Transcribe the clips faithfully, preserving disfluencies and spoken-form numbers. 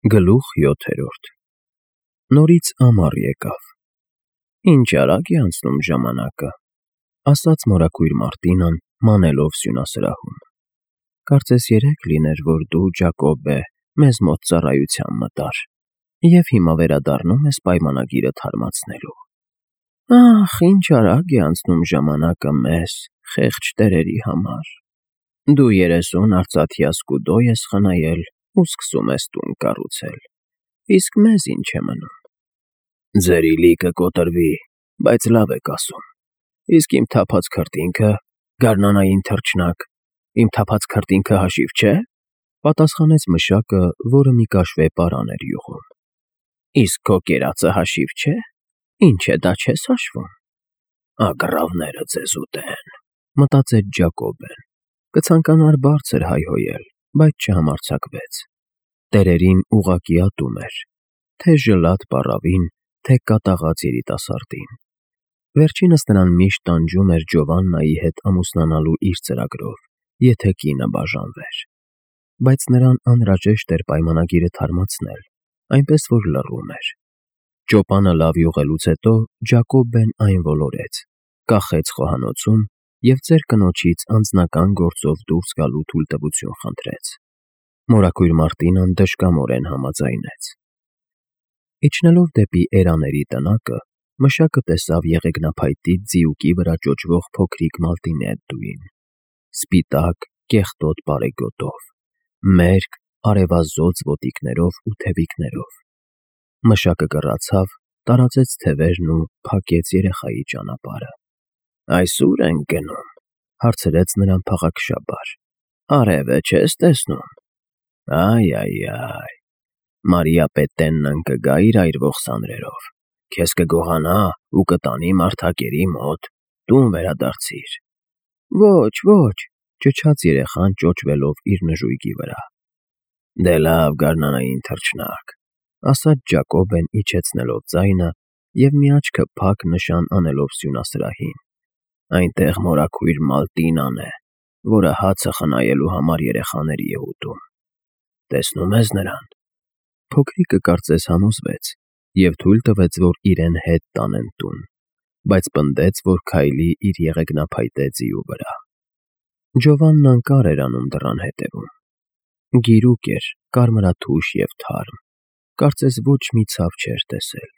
Գլուխ յոթերորդ Նորից ամառ եկավ։ Ինչ արագ է անցնում ժամանակը, ասաց մորաքույր Մարտինան, մանելով սյունասրահում։ Կարծես երեկ լիներ, որ դու, Ջակոբե, մեզ մոտ ծառայության մտար, և հիմա վերադառնում ես պայմանագիրը թարմացնելու։ Ախ, ինչ արագ է անցնում ժամանակը մեզ, խեղճ տերերի համար։ Դու երեսուն արծաթյա սկուդո ես խնայել ու սկսում ես տուն կառուցել, իսկ մեզ ինչ է մնում։ Ձեր իլիկը կոտրվի, բայց լավ եք ասում, իսկ իմ թափած քրտինքը, գարնանային թռչնակ, իմ թափած քրտինքը հաշիվ չէ, պատասխանեց մշակը, որը մի կաշվե պարան էր յուղում։ Իսկ քո կերածը հաշիվ չէ, ինչ է դա չես հաշվում։ Ագռավները ձեզ ուտեն, մտածեց Ջակոբեն, կցանկանար բարձր հայհոյել, բայց չհամարձակվեց։ Տերերին ուղղակի ատում էր, թե ժլատ պառավին, թե կատաղած երիտասարդին։ Վերջինս նրան միշտ տանջում էր Ջովաննայի հետ ամուսնանալու իր ծրագրով, եթե կինը բաժանվեր։ Բայց նրան անհրաժեշտ էր պայմանագիրը թարմացնել, այնպես որ լռում էր։ Ճոպանը լավ յուղելուց հետո Ջակոբեն այն ոլորեց, կախեց խոհանոցում և ծեր կնոջից անձնական գործով դուրս գալու թույլտվություն խնդրեց։ Մորաքույր Մարտինան դժկամորեն համաձայնեց։ Իջնելով դեպի էրաների տնակը, մշակը տեսավ եղեգնափայտից ձիուկի վրա ճոճվող փոքրիկ մալտինեդդուին, սպիտակ, կեղտոտ բարեգոտով, մերկ, արևազոծ ոտիկներով ու թևիկներով։ Մշակը կռացավ, տարածեց թևերն ու փակեց երեխայի ճանապարհը։ Այս ո՞ւր ենք գնում, հարցրեց նրան փաղաքշաբար։ Արևը չես տեսնում։ Այ, այ, այ, Մարիապետեննն կգա իր այրվող սանրերով, քեզ կգողանա ու կտանի մարդակերի մոտ, տուն վերադարձիր։ Ոչ, ոչ, ճչաց երեխան ճոճվելով իր նժույգի վրա։ Դե լավ, գարնանային թռչնակ, ասաց Ջակոբեն իջեցնելով ձայնը և մի աչքը փակ նշան անելով սյունասրահին։ Այնտեղ մորաքույր Մալտինան է, որը հացը խնայելու համար երեխաների է ուտում։ Տեսնում ես նրան։ Փոքրիկը կարծես համոզվեց և թույլ տվեց, որ իրեն հետ տանեն տուն, բայց պնդեց, որ քայլի իր եղեգնափայտե ձիու վրա։ Ջովաննան կար էր անում դռան հետևում։ Գիրուկ էր, կարմրաթուշ և թարմ, կարծես ոչ մի ցավ չէր տեսել։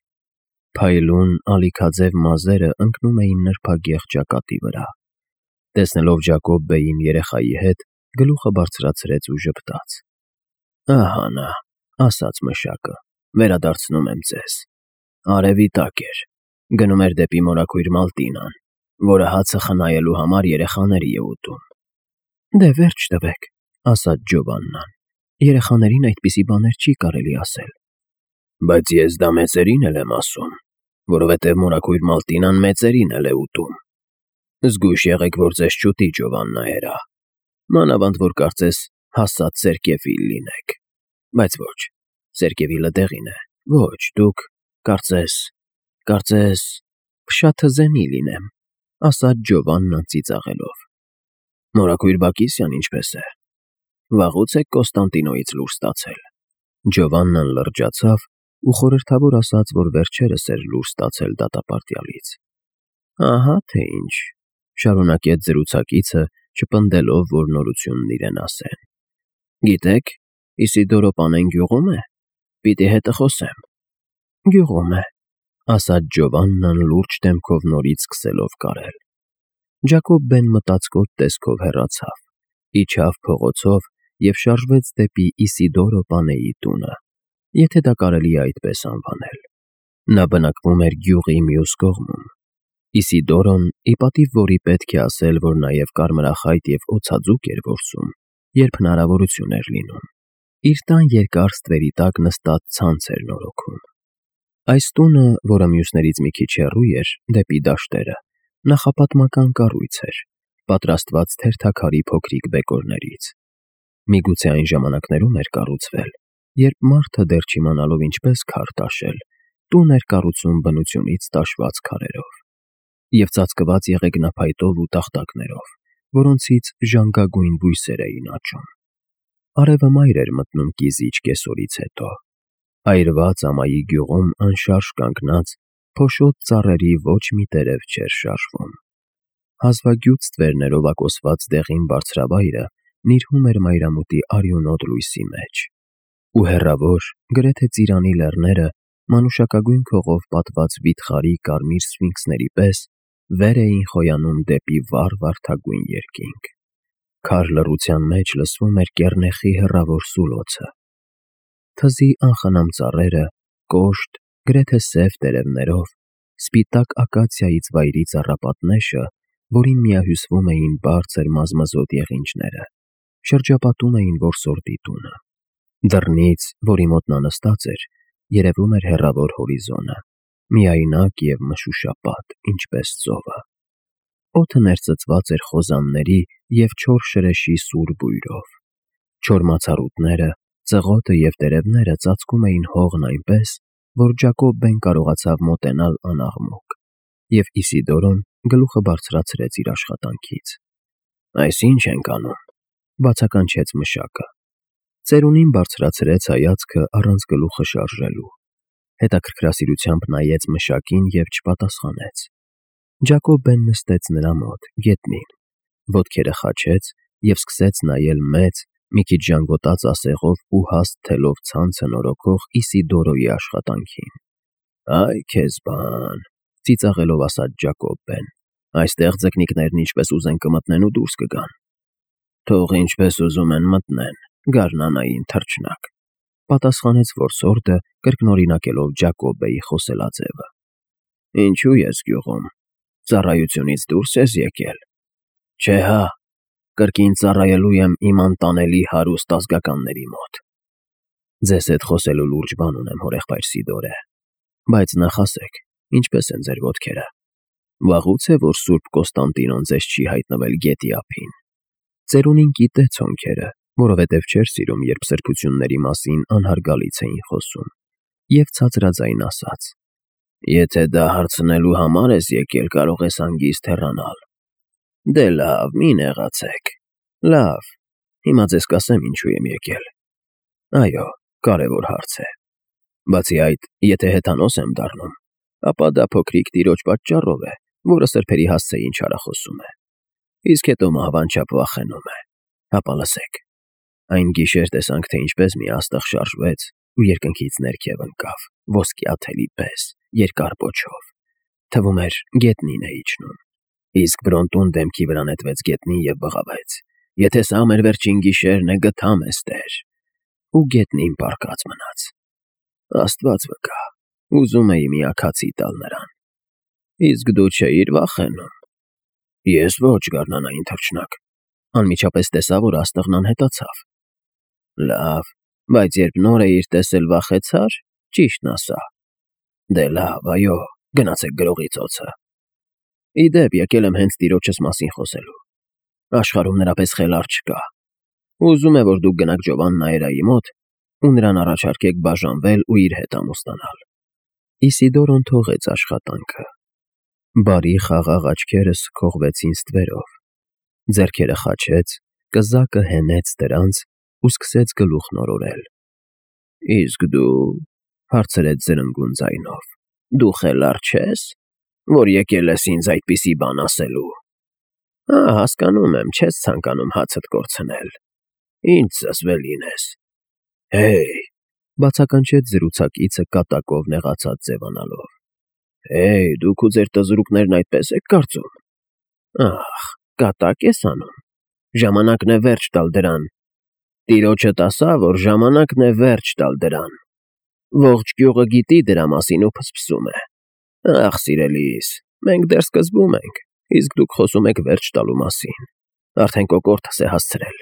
Փայլուն, ալիքաձև մազերը ընկնում էին նրբագեղ ճակատի վրա։ Տեսնելով Ջակոբբեին երեխայի հետ, գլուխը բարձրացրեց ու ժպտաց։ Ահա նա, ասաց մշակը, վերադարձնում եմ ձեզ։ Արևի տակ էր, գնում էր դեպի մորաքույր Մալտինան, որը հացը խնայելու համար երեխաների է ուտում։ Դե վերջ տվեք, ասաց Ջովաննան, երեխաներին այդպիսի բաներ չի կարելի ասել։ Բայց ես դա մեծերին էլ եմ ասում, որովհետև մորաքույր Մալտինան մեծերին էլ է ուտում։ Զգույշ եղեք, որ ձեզ չուտի Ջովաննայելա, մանավանդ որ կարծես հասած Սերկևիլ լինեք։ Բայց ոչ, Սերկևիլը դեղին է, ոչ, դուք, կարծես, կարծես, փշաթզենի լինեմ, ասաց Ջովաննան ծիծաղելով։ Մորաքույր Բակիսյան ինչպես է։ Վաղուց եք Կոստանդինոյից լուր ստացել։ Ջովաննան լրջացավ ու խորհրդավոր ասաց, որ վերջերս էր լուր ստացել դատապարտյալից։ Ահա թե ինչ, շարունակեց զրուցակիցը, չպնդելով, որ նորությունն իրեն ասեն։ Գիտեք, Իսիդորո պանեն գյուղում է։ Պիտի հետը խոսեմ։ Գյուղում է, ասաց Ջովաննան լուրջ դեմքով նորից սկսելով կարել։ Ջակոբբեն մտածկոտ տեսքով հեռացավ, իջավ փողոցով և շարժվեց դեպի Իսիդորո պանեի տունը, եթե դա կարելի է այդպես անվանել։ Նա բնակվում էր գյուղի մյուս կողմում։ Իսիդորոն, ի պատիվ որի պետք է ասել, որ նաև կարմրախայտ և օձաձուկ էր որսում, երբ հնարավորություն էր լինում, իր տան երկար ստվերի տակ նստած ցանց էր նորոգում։ Այս տունը, որը մյուսներից մի քիչ հեռու էր, դեպի դաշտերը, նախապատմական կառույց էր, պատրաստված թերթաքարի փոքրիկ բեկորներից։ Միգուցե այն ժամանակներում էր կառուցվել, երբ մարդը դեռ չիմանալով ինչպես քար տաշել, տուն էր կառուցում բնությունից տաշված քարերով և ծածկված եղեգնափայտով ու տախտակներով, որոնցից ժանգագույն բույսեր էին աճում։ Արևը մայր էր մտնում կիզիչ կեսօրից հետո, Այրված ամայի գյուղում անշարժ կանգնած, փոշոտ ծառերի ոչ մի տերև չէր շարժվում։ Հազվագյուտ ստվերներով ակոսված դեղին բարձրավայրը նիրհում էր մայրամուտի արյունոտ լույսի մեջ, ու հեռավոր, գրեթե ծիրանի լեռները, մանուշակագույն քողով պատված վիթխարի կարմիր սֆինքսների պես, վեր էին խոյանում դեպի վառ վարդագույն երկինք։ Քար լռության մեջ լսվում էր կեռնեխի հեռավոր սուլոցը։ Թզի անխնամ ծառերը, կոշտ, գրեթե սև տերևներով, սպիտակ ակացիայից վայրի ծառապատնեշը, որին միահյուսվում էին բարձր մազմզոտ եղինջները, շրջապատում էին որսորդի տունը։ Դռնից, որի մոտ նա նստած էր, երևում էր հեռավոր հորիզոնը, միայնակ և մշուշապատ, ինչպես ծովը։ Օդը ներծծված էր խոզանների և չոր շրեշի սուր բույրով։ Չոր մացառուտները, ծղոտը և տերևները ծածկում էին հողն այնպես, որ Ջակոբն կարողացավ մոտենալ անաղմուկ, և Իսիդորոն գլուխը բարձրացրեց իր աշխատանքից։ «Այս ի՞նչ ենք անում,» բացականչեց մշակը։ Ծերունին բարձրացրեց հայացքը առանց գլուխը շարժելու, հետաքրքրասիրությամբ նայեց մշակին և չպատասխանեց։ Ջակոբն նստեց նրա մոտ, գետնին, ոտքերը խաչեց և սկսեց նայել մեծ, մի քիչ ժանգոտած ասեղով ու հաստ թելով ցանցը նորոգող Իսիդորոյի աշխատանքին։ «Այ քեզ բան,» ծիծաղելով ասաց Ջակոբն, «այստեղ ձկնիկներն ինչպես ուզեն կմտնեն ու դուրս կգան»։ «Թող ինչպես ուզում են մտնեն, գարնանային թռչնակ», պատասխանեց որսորդը, կրկնօրինակելով Ջակոբի խոսելաձևը։ «Ինչու ես գյուղում, ծառայությունից դուրս ես եկել»։ «Չէ հա, կրկին ծառայելու եմ իմ անտանելի հարուստ ազգականների մոտ»։ «Ձեզ հետ խոսելու լուրջ բան ունեմ, հորեղբայր Սիդորե, բայց նախ ասեք, ինչպես են ձեր ոտքերը։ Վաղուց է, որ Սուրբ Կոստանդինոն ձեզ չի հայտնվել գետի ափին»։ Ծերունին գիտե ցոնքերը, որովհետև չէր սիրում, երբ սրբությունների մասին անհարգալից էին խոսում, և ցածրաձայն ասաց. «Եթե դա հարցնելու համար ես եկել, կարող ես հանգիստ հեռանալ»։ «Դե լավ, մի նեղացեք։ Լավ, հիմա ձեզ կասեմ ինչու եմ եկել։ Այո, կարևոր հարց է։ Բացի այդ, եթե հեթանոս եմ դառնում, ապա դա փոքրիկ տիրոջ պատճառով է, որը սրբերի հասցեին չարախոսում է, իսկ հետո մահվանչապ վախենում է։ Հապա լսեք։ Այն գիշեր տեսանք, թե ինչպես մի աստղ շարժվեց ու երկնքից ներքև ընկավ, ոսկյա թելի պես, երկար պոչով։ Թվում էր գետնին է իջնում։ Իսկ Բրոնտուն դեմքի վրա նետվեց գետնին և բղավեց. «Եթե սա մեր վերջին գիշերն է, գթամ էստեր»։ Ու գետնին պառկած մնաց։ Աստված վկա, ուզում էի մի աքացի տալ նրան։ Իսկ դու չէիր վախենում։ Ես ոչ, գարնանային թռչնակ, անմիջապես տեսա, որ աստղն անհետացավ։ Լավ, բայց երբ նոր էիր տեսել, վախեցա՞ր, ճիշտն ասա։ Դե լավ, այո, գնացեք գրողի ծոցը։ Ի դեպ, եկել եմ հենց տիրոջս մասին խոսելու։ Աշխարհում նրա պես խելառ չկա։ Ուզում է, որ դուք գնաք Ջովան Նայերայի մոտ ու նրան առաջարկեք բաժանվել ու իր հետ ամուսնանալ։ Իսիդորոն թողեց աշխատանքը։ Բարի խաղաղ աչքերը սքողվեցին ստվերով, ձեռքերը խաչեց, կզակը հենեց դրանց ու սկսեց գլուխ նորորել։ «Իսկ դու,» հարցրեց զրնգուն ձայնով, «դու խելառ չե՞ս, որ եկել ես ինձ այդպիսի բան ասելու։ Ա, հասկանում եմ, չես ցանկանում հացդ կորցնել։ Ինչ զզվել լինես։ Հեյ,» բացականչեց զրուցակիցը կատակով նեղացած ձևանալով։ «Հեյ, դուք ու ձեր տզրուկներն այդպես եք կարծում։ Ախ, կատակ ես անում։ Ժամանակն է վերջ տալ դրան։ Տիրոջդ ասա, որ ժամանակն է վերջ տալ դրան։ Ողջ գյուղը գիտի դրա մասին ու փսփսում է։ Ախ, սիրելիս, մենք դեռ սկզբում ենք, իսկ դուք խոսում եք վերջ տալու մասին։ Արդեն կոկորդս է հասցրել։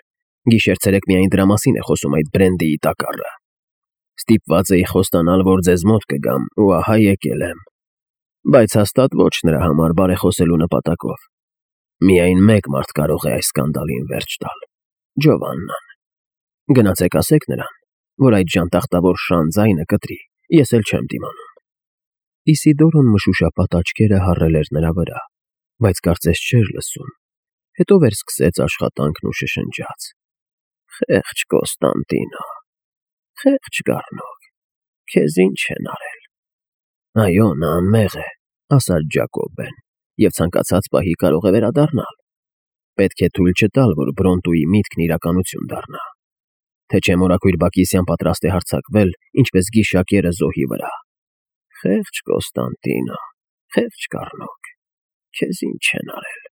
Գիշեր-ցերեկ միայն դրա մասին է խոսում այդ Բրենդիի տակառը։ Ստիպված էի խոստանալ, որ ձեզ մոտ կգամ, ու ահա եկել եմ։ Բայց հաստատ ոչ նրա համար բարեխոսելու նպատակով։ Միայն մեկ մարդ կարող է այս սկանդալին վերջ տալ՝ Ջովաննան։ Գնացեք ասեք նրան, որ այդ ժանտախտավոր շան ձայնը կտրի, ես էլ չեմ դիմանում։ Իսիդորոն մշուշապատ աչքերը հառել էր նրա վրա, բայց կարծես չէր լսում, հետո վերսկսեց աշխատանքն ու շշնջաց. «Խեղճ Կոստանդինո, խեղճ գառնող, Քեզ ինչ են արել։ Այո, նա անմեղ է, ասաց Ջակոբեն, և ցանկացած պահի կարող է վերադառնալ։ Պետք է թույլ չտալ, որ Բրոնտուի միտքն իրականություն դառնա։ Թե չէ մորաքույր Բակիսյան պատրաստ է հարձակվել, ինչպես գիշակերը զոհի վրա։ Խեղճ Կոստանդինո, խեղճ կառնոկ, քեզ ինչ են արել,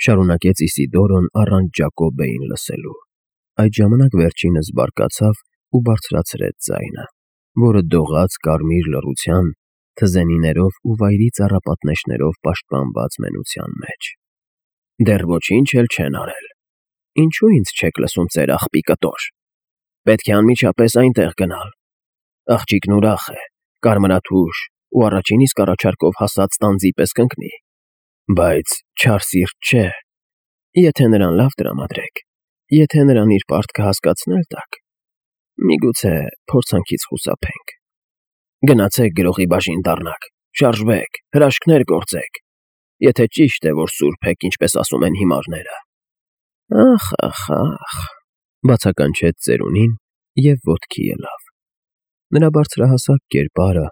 շարունակեց Իսիդորոն առանց Ջակոբեին լսելու։ Այդ ժամանակ վերջինս բարկացավ ու բարձրացրեց ձայնը, որը դողաց կարմիր լռության, թզենիներով ու վայրի ծառապատնեշներով պաշտպանված մենության մեջ։ Դեռ ոչինչ էլ չեն արել։ Ինչու ինձ չեք լսում, ծեր աղբի կտոր։ Պետք է անմիջապես այնտեղ գնալ։ Աղջիկն ուրախ է, կարմրաթուշ ու առաջին իսկ առաջարկով հասած տանձի պես կընկնի։ Բայց չար սիրտ չէ։ Եթե նրան լավ տրամադրեք, եթե նրան իր պարտքը հասկացնել տաք, միգուցե փորձանքից խուսափենք։ Գնացեք գրողի բաժին դառնաք, շարժվեք, հրաշքներ գործեք, եթե ճիշտ է, որ սուրբ եք, ինչպես ասում են հիմարները։ Ախ, ախ, ախ, բացականչեց ծերունին և ոտքի ելավ։ Նրա բարձրահասակ կերպարը,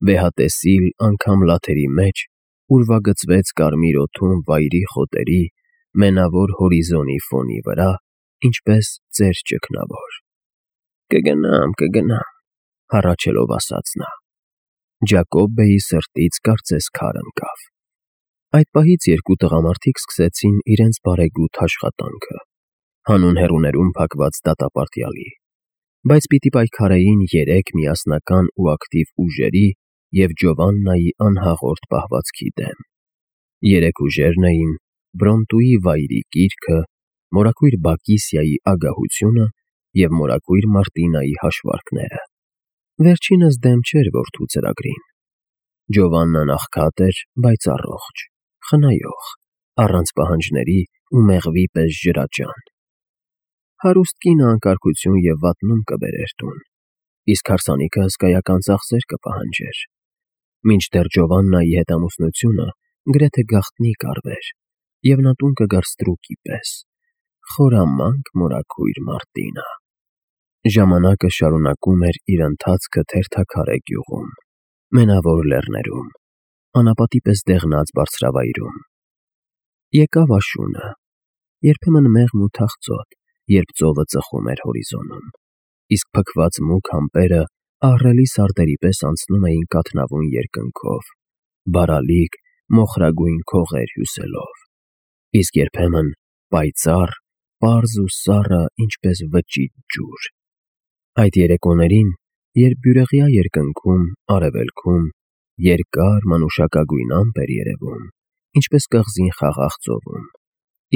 վեհատեսիլ անգամ լաթերի մեջ, ուրվագծվեց կարմիր օդում վայրի խոտերի, մենավոր հորիզոնի ֆոնի վրա, ինչպես ծեր ճգնավոր։ Կգնամ, կգնամ, հառաչելով ասաց նա։ Ջակոբեի սրտից կարծես քար ընկավ։ Այդ պահից երկու տղամարդիկ սկսեցին իրենց բարեգութ աշխատանքը, հանուն հեռուներում փակված դատապարտյալի, բայց պիտի պայքարեին երեք միասնական ու ակտիվ ուժերի և Ջովաննայի անհաղորդ պահվածքի դեմ։ Երեք ուժերն էին Բրոնտուի վայրի կիրքը, մորաքույր Բակիսիայի ագահությունը և մորաքույր Մարտինայի հաշվարկները։ Վերջինս դեմ չէր որդու ծրագրին։ Ջովաննան աղքատ էր, բայց առողջ, խնայող, առանց պահանջների ու մեղվի պես ջրաճան։ Հարուստ կինը անկարգություն և վատնում կբերեր տուն, իսկ հարսանիքը հսկայական ծախսեր կպահանջեր։ Մինչդեռ Ջովաննայի հետ ամուսնությունը գրեթե գաղտնի կառվեր, և նա տուն կգար ստրուկի պես, խորամանկ մորաքույր Մարտինա։ Ժամանակը շարունակում էր իր ընթացքը թերթաքարե գյուղում, մենավոր լեռներում, անապատի պես դեղնած բարձրավայրում։ Եկավ աշունը, երբեմն մեղմ ու թախծոտ, երբ ծովը ծխում էր հորիզոնում, իսկ փքված մուգ ամպերը ահռելի սարդերի պես անցնում էին կաթնավուն երկնքով, բարալիկ, մոխրագույն քողեր հյուսելով, իսկ երբեմն պայծառ, պարզ ու սառը, ինչպես վճիտ ջուր։ Այդ երեկոներին, երբ բյուրեղյա երկնքում, արևելքում, երկար մանուշակագույն ամպ էր երևում, ինչպես կղզին խաղաղ ծովում,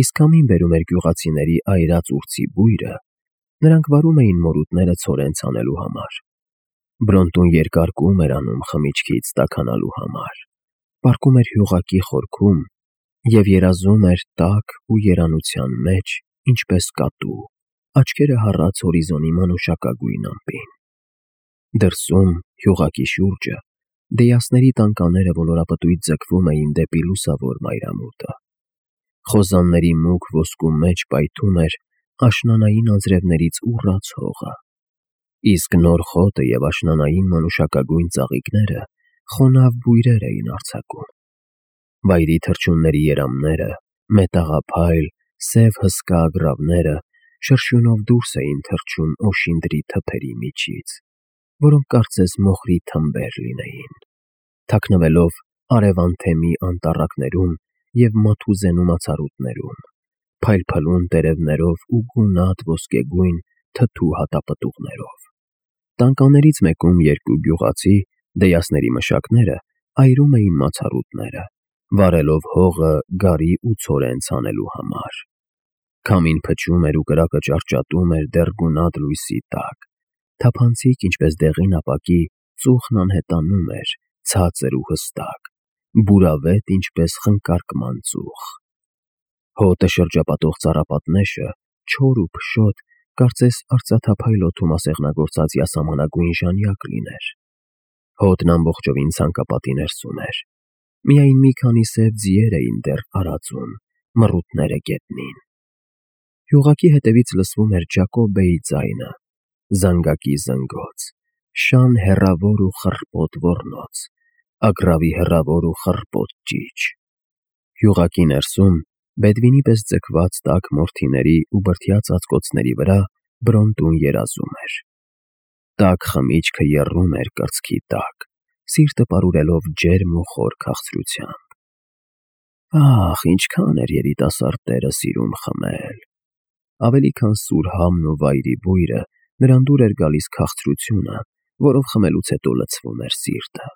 իսկ քամին բերում էր գյուղացիների այրած ուրցի բույրը, նրանք վարում էին մորուտները ցորեն ցանելու համար։ Բրոնտուն երկար կում էր անում խմիչքից տաքանալու համար, պառկում էր հյուղակի խորքում և երազում էր տաք ու երանության մեջ, ինչպես կատու, աչքերը հառած հորիզոնի մանուշակագույն ամպին։ Դրսում, հյուղակի շուրջը, դեյասների տանկաները ոլորապտույտ ձգվում էին դեպի լուսավոր մայրամուտը։ Խոզանների մուգ ոսկու մեջ պայթում էր աշնանային անձրևներից ուռած հողը, իսկ նոր խոտը և աշնանային մանուշակագույն ծաղիկները խոնավ բույրեր էին արձակում։ Վայրի թռչունների երամները, մետաղափայլ, սև հսկա ագռավները շրշյունով դուրս էին թռչում օշինդրի թփերի միջից, որոնք կարծես մոխրի թմբեր լինեին, թաքնվելով արևանթեմի անտառակներում և մաթուզենու մացառուտներում, փայլփլուն տերևներով ու գունատ ոսկեգույն թթու հատապտուղներով։ Տանկաներից մեկում երկու գյուղացի, դեյասների մշակները, այրում էին մացառուտները, վառելով հողը գարի ու ցորեն ցանելու համար։ Քամին փչում էր ու կրակը ճարճատում էր դեռ գունատ լույսի տակ, թափանցիկ, ինչպես դեղին ապակի, ծուխն անհետանում էր, ցածր ու հստակ, բուրավետ, ինչպես խնկարկման ծուխ։ Հոտը շրջապատող ծառապատնեշը, չոր ու փշոտ, կարծես արծաթափայլ օդում ասեղնագործած յասամանագույն ժանյակ լիներ։ Հոտն ամբողջովին ցանկապատի ներսում էր։ Միայն մի քանի սև ձիեր էին դեռ արածում, մռութները գետնին։ Հյուղակի հետևից լսվում էր Ջակոբեի ձայնը, զանգակի զնգոց, շան հեռավոր ու խռպոտ ոռնոց, ագռավի հեռավոր ու խռպոտ ճիչ։ Յուղակի ներսում, բեդվինի պես ձգված տաք մորթիների ու բրդյա ծածկոցների վրա Բրոնտուն երազում էր։ Տաք խմիչքը եռում էր կրծքի տակ, սիրտը պարուրելով ջերմ ու խոր քաղցրությամբ։ Ահ, ինչքան էր երիտասարդ տերը սիրում խմել։ Ավելի քան սուր համն ու վայրի բույրը, նրան դուր էր գալիս քաղցրությունը, որով խմելուց հետո լցվում էր սիրտը։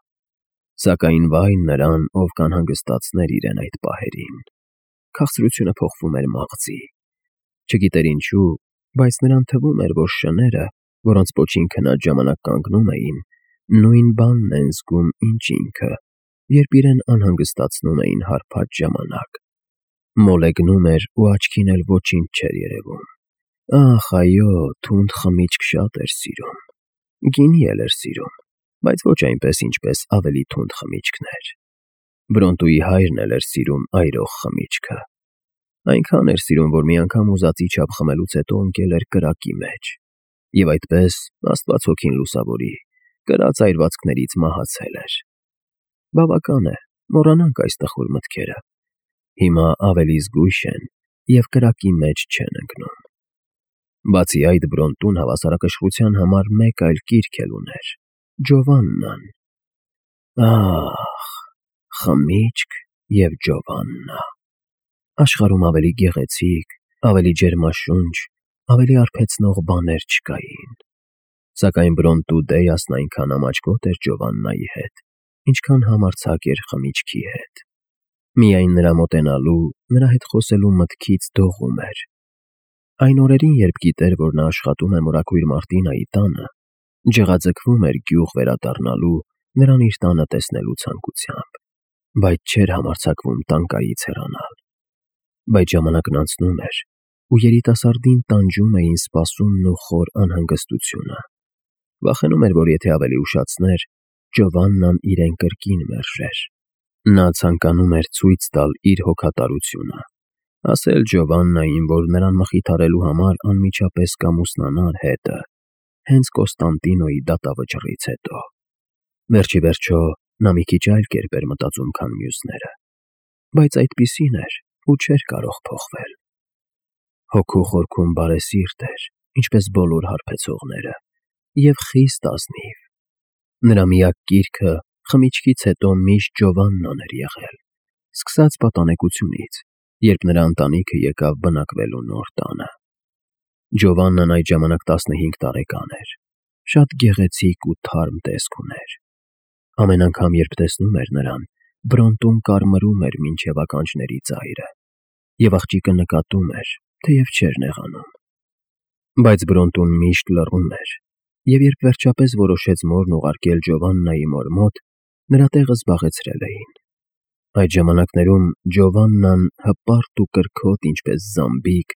Սակայն վայ նրան, ով կանհանգստացներ իրեն այդ պահերին։ Քաղցրությունը փոխվում էր մաղձի։ Չգիտեր ինչու, բայց նրան թվում էր, որ շները, որոնց պոչին քնած ժամանակ կանգնում էին, նույն բանն են զգում, ինչ ինքը, երբ իրեն անհանգստացնում էին հարբած ժամանակ։ Մոլեգնում էր ու աչքին էլ ոչինչ չէր երևում։ Ախ, այո, թունդ խմիչք շատ էր սիրում։ Գինի էլ էր սիրում, բայց ոչ այնպես, ինչպես ավելի թունդ խմիչքներ։ Բրոնտուի հայրն էլ էր սիրում այրող խմիչքը։ Այնքան էր սիրում, որ մի անգամ ուզածի չափ խմելուց հետո ընկել էր կրակի մեջ։ Եվ այդպես, Աստված հոգին լուսավորի, կրած այրվածքներից մահացել էր։ Բավական է, մոռանանք այս տխուր մտքերը։ Հիմա ավելի զգույշ են և կրակի մեջ չեն ընկնում։ Բացի այդ, Բրոնտուն հավասարակշռության համար մեկ այլ կիրք էլ ուներ՝ Ջովաննան։ Ահ, խմիչք և Ջովաննա։ Աշխարհում ավելի գեղեցիկ, ավելի ջերմաշունչ, ավելի արբեցնող բաներ չկային։ Սակայն Բրոնտու Դեյասն այնքան ամաչկոտ էր Ջովաննայի հետ, ինչքան համարձակ էր խմիչքի հետ։ Միայն նրա մոտենալու, նրա հետ խոսելու մտքից դողում էր։ Այն օրերին, երբ գիտեր, որ նա աշխատում է մորաքույր Մարտինայի տանը, ջղաձգվում էր գյուղ վերադառնալու, նրան իր տանը տեսնելու ցանկությամբ, բայց չէր համարձակվում տանկայից հեռանալ։ Բայց ժամանակն անցնում էր, ու երիտասարդին տանջում էին սպասումն ու խոր անհանգստությունը։ Վախենում էր, որ եթե ավելի ուշացներ, Ջովաննան իրեն կրկին մերժեր։ Նա ցանկանում էր ցույց տալ իր հոգատարությունը, ասել Ջովաննային, որ նրան մխիթարելու համար անմիջապես կամուսնանար հետը, հենց Կոստանդինոյի դատավճռից հետո։ Վերջիվերջո, նա մի քիչ այլ կերպ էր մտածում, քան մյուսները, բայց այդպիսին էր ու չէր կարող փոխվել։ Հոգու խորքում բարեսիրտ էր, ինչպես բոլոր հարբեցողները, և խիստ ազնիվ։ Նրա միակ կիրքը խմիչքից հետո միշտ Ջովաննան էր եղել, սկսած պատանեկությունից, երբ նրա ընտանիքը եկավ բնակվելու նոր տանը։ Ջովաննան այդ ժամանակ տասնհինգ տարեկան էր, շատ գեղեցիկ ու թարմ տեսք ուներ։ Ամեն անգամ, երբ տեսնում էր նրան, Բրոնտուն կարմրում էր մինչև ականջների ծայրը, և աղջիկը նկատում էր, թեև չէր նեղանում։ Բայց Բրոնտուն միշտ լռում էր, և երբ վերջապես որոշեց մորն ուղարկել Ջովաննայի մոր մոտ, նրա տեղը զբաղեցրել էին։ Այդ ժամանակներում Ջովաննան, հպարտ ու կրքոտ, ինչպես զամբիկ,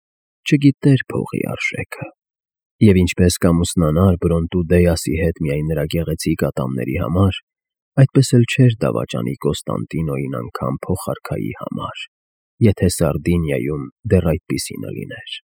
չգիտեր փողի արժեքը։ Եվ ինչպես կամուսնանար Բրոնտու Դեյասի հետ միայն նրա գեղեցիկ ատամների համար, այդպես էլ չէր դավաճանի Կոստանդինոյին անգամ փոխարքայի համար, եթե Սարդինիայում դեռ այդպիսինը լիներ։